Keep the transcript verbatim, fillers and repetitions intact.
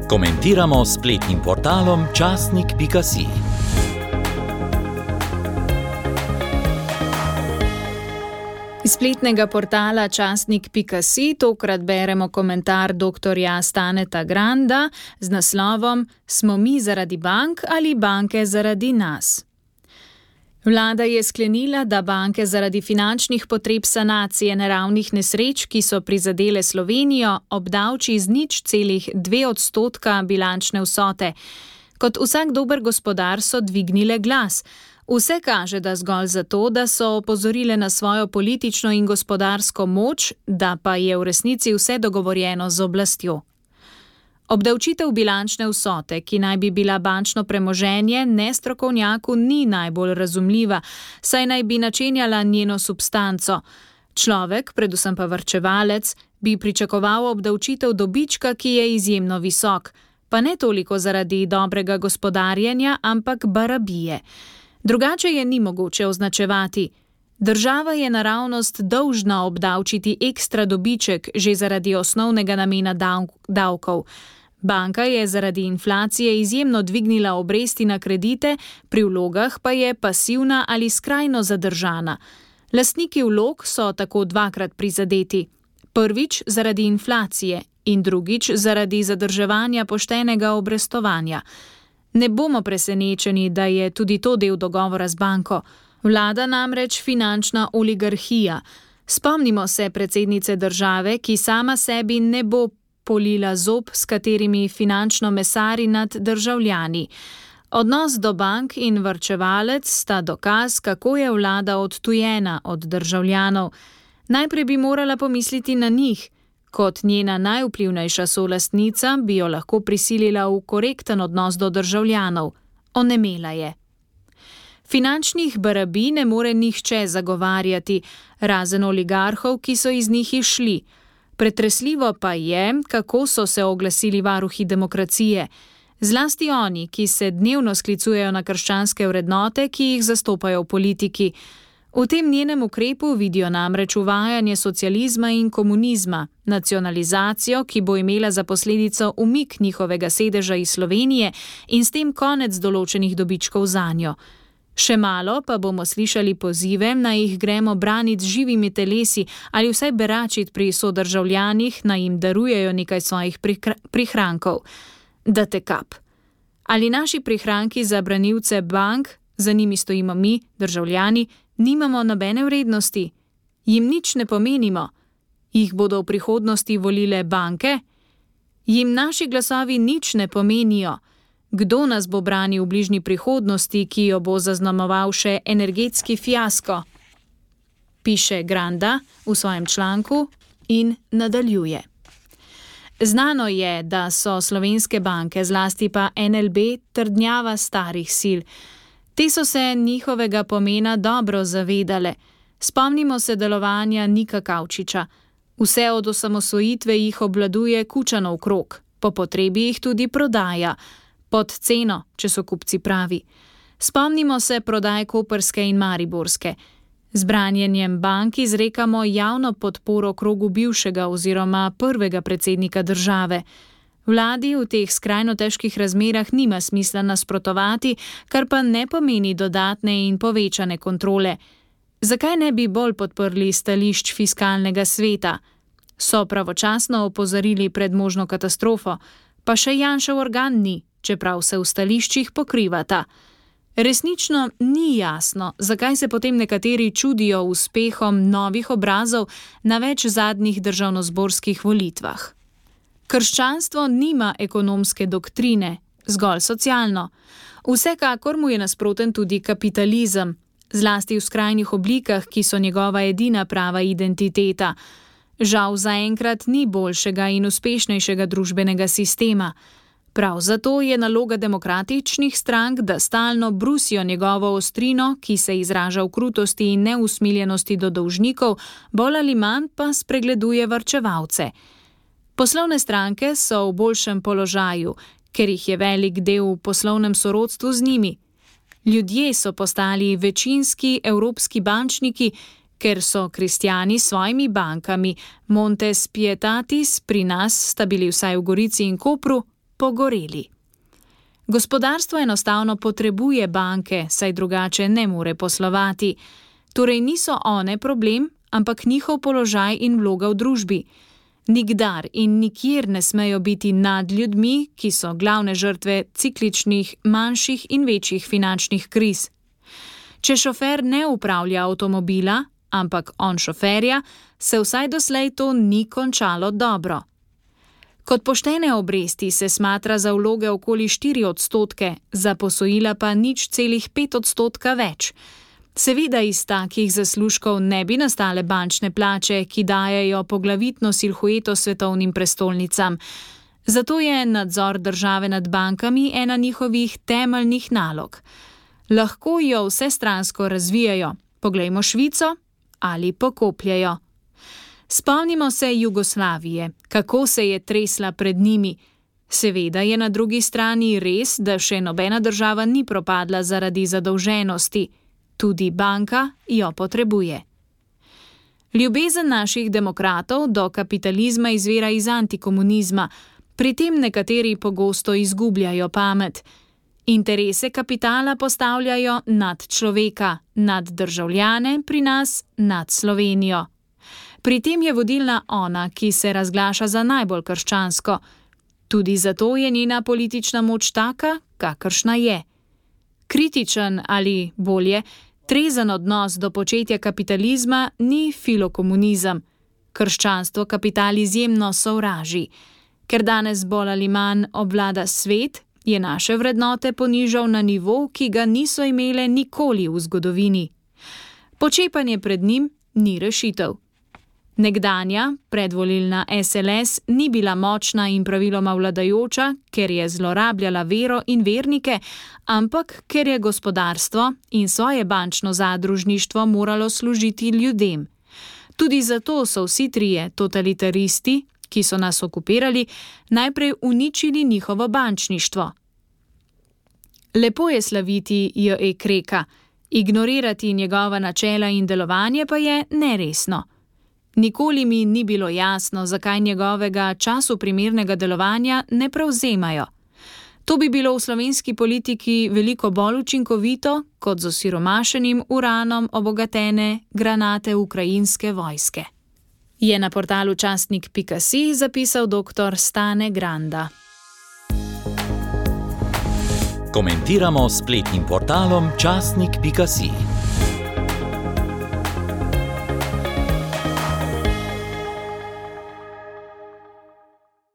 Komentiramo s spletnim portalom časnik pika si. Iz spletnega portala časnik pika si tokrat beremo komentar doktorja Staneta Granda z naslovom Smo mi zaradi bank ali banke zaradi nas? Vlada je sklenila, da banke zaradi finančnih potreb sanacije naravnih nesreč, ki so prizadele Slovenijo, obdavči z nič celih dve odstotka bilančne vsote. Kot vsak dober gospodar so dvignile glas. Vse kaže, da zgolj zato, da so opozorile na svojo politično in gospodarsko moč, da pa je v resnici vse dogovorjeno z oblastjo. Obdavčitev bilančne vsote, ki naj bi bila bančno premoženje, nestrokovnjaku ni najbolj razumljiva, saj naj bi načenjala njeno substanco. Človek, predvsem pa varčevalec, bi pričakoval obdavčitev dobička, ki je izjemno visok, pa ne toliko zaradi dobrega gospodarjenja, ampak barabije. Drugače je ni mogoče označevati. Država je naravnost dolžna obdavčiti ekstra dobiček že zaradi osnovnega namena davkov. Banka je zaradi inflacije izjemno dvignila obresti na kredite, pri vlogah pa je pasivna ali skrajno zadržana. Lastniki vlog so tako dvakrat prizadeti. Prvič zaradi inflacije in drugič zaradi zadrževanja poštenega obrestovanja. Ne bomo presenečeni, da je tudi to del dogovora z banko. Vlada namreč finančna oligarhija. Spomnimo se predsednice države, ki sama sebi ne bo polila zob, s katerimi finančno mesari nad državljani. Odnos do bank in varčevalec sta dokaz, kako je vlada odtujena od državljanov. Najprej bi morala pomisliti na njih. Kot njena najvplivnejša solastnica bi jo lahko prisilila v korekten odnos do državljanov. Onemela je. Finančnih barabij ne more nihče zagovarjati, razen oligarhov, ki so iz njih išli. Pretresljivo pa je, kako so se oglasili varuhi demokracije. Zlasti oni, ki se dnevno sklicujejo na krščanske vrednote, ki jih zastopajo v politiki. V tem njenem ukrepu vidijo namreč uvajanje socializma in komunizma, nacionalizacijo, ki bo imela za posledico umik njihovega sedeža iz Slovenije in s tem konec določenih dobičkov zanjo. Še malo pa bomo slišali pozive, naj jih gremo braniti z živimi telesi ali vsaj beračiti pri sodržavljanih, naj jim darujejo nekaj svojih prihrankov. Da te kap. Ali naši prihranki za branilce bank, za njimi stojimo mi, državljani, nimamo nobene vrednosti? Jim nič ne pomenimo? Jih bodo v prihodnosti volile banke? Jim naši glasovi nič ne pomenijo? Kdo nas bo branil v bližnji prihodnosti, ki jo bo zaznamoval še energetski fiasko? Piše Granda v svojem članku in nadaljuje. Znano je, da so slovenske banke, zlasti pa en el be, trdnjava starih sil. Te so se njihovega pomena dobro zavedale. Spomnimo se delovanja Nika Kavčiča. Vse od osamosvojitve jih obvladuje Kučanov krog, po potrebi jih tudi prodaja. Pod ceno, če so kupci pravi. Spomnimo se prodaje koprske in mariborske. Z branjenjem bank izrekamo javno podporo krogu bivšega oziroma prvega predsednika države. Vladi v teh skrajno težkih razmerah nima smisla nasprotovati, kar pa ne pomeni dodatne in povečane kontrole. Zakaj ne bi bolj podprli stališč fiskalnega sveta? So pravočasno opozorili pred možno katastrofo, pa še Janšev organ ni, čeprav se v stališčih pokrivata. Resnično ni jasno, zakaj se potem nekateri čudijo uspehom novih obrazov na več zadnjih državnozborskih volitvah. Krščanstvo nima ekonomske doktrine, zgolj socialno. Vsekakor mu je nasproten tudi kapitalizem, zlasti v skrajnih oblikah, ki so njegova edina prava identiteta. Žal zaenkrat ni boljšega in uspešnejšega družbenega sistema. Prav zato je naloga demokratičnih strank, da stalno brusijo njegovo ostrino, ki se izraža v krutosti in neusmiljenosti do dolžnikov, bolj ali manj pa spregleduje varčevalce. Poslovne stranke so v boljšem položaju, ker jih je velik del v poslovnem sorodstvu z njimi. Ljudje so postali večinski evropski bančniki, ker so kristjani s svojimi bankami, Montes Pietatis pri nas sta bili vsaj v Gorici in Kopru, pogoreli. Gospodarstvo enostavno potrebuje banke, saj drugače ne more poslovati. Torej niso one problem, ampak njihov položaj in vloga v družbi. Nikdar in nikjer ne smejo biti nad ljudmi, ki so glavne žrtve cikličnih, manjših in večjih finančnih kriz. Če šofer ne upravlja avtomobila, ampak on šoferja, se vsaj doslej to ni končalo dobro. Kot poštene obresti se smatra za vloge okoli štiri odstotke, za posojila pa nič celih pet odstotka več. Seveda iz takih zaslužkov ne bi nastale bančne plače, ki dajejo poglavitno silhueto svetovnim prestolnicam. Zato je nadzor države nad bankami ena njihovih temeljnih nalog. Lahko jo vsestransko razvijajo, poglejmo Švico, ali pokopljajo. Spomnimo se Jugoslavije, kako se je tresla pred njimi. Seveda je na drugi strani res, da še nobena država ni propadla zaradi zadolženosti. Tudi banka jo potrebuje. Ljubezen naših demokratov do kapitalizma izvira iz antikomunizma, pri tem nekateri pogosto izgubljajo pamet. Interese kapitala postavljajo nad človeka, nad državljane, pri nas nad Slovenijo. Pri tem je vodilna ona, ki se razglaša za najbolj krščansko. Tudi zato je njena politična moč taka, kakršna je. Kritičen ali, bolje, trezen odnos do početja kapitalizma ni filokomunizem. Krščanstvo kapital izjemno sovraži. Ker danes bolj ali manj obvlada svet, je naše vrednote ponižal na nivo, ki ga niso imele nikoli v zgodovini. Počepanje pred njim ni rešitev. Nekdanja, predvolilna es el es ni bila močna in praviloma vladajoča, ker je zlorabljala vero in vernike, ampak ker je gospodarstvo in svoje bančno zadružništvo moralo služiti ljudem. Tudi zato so vsi trije totalitaristi, ki so nas okupirali, najprej uničili njihovo bančništvo. Lepo je slaviti J E Kreka, ignorirati njegova načela in delovanje pa je neresno. Nikoli mi ni bilo jasno, zakaj njegovega času primernega delovanja ne prevzemajo. To bi bilo v slovenski politiki veliko bolj učinkovito, kot z osiromašenim uranom obogatene granate ukrajinske vojske. Je na portalu časnik pika si zapisal doktor Stane Granda. Komentiramo s spletnim portalom časnik pika si.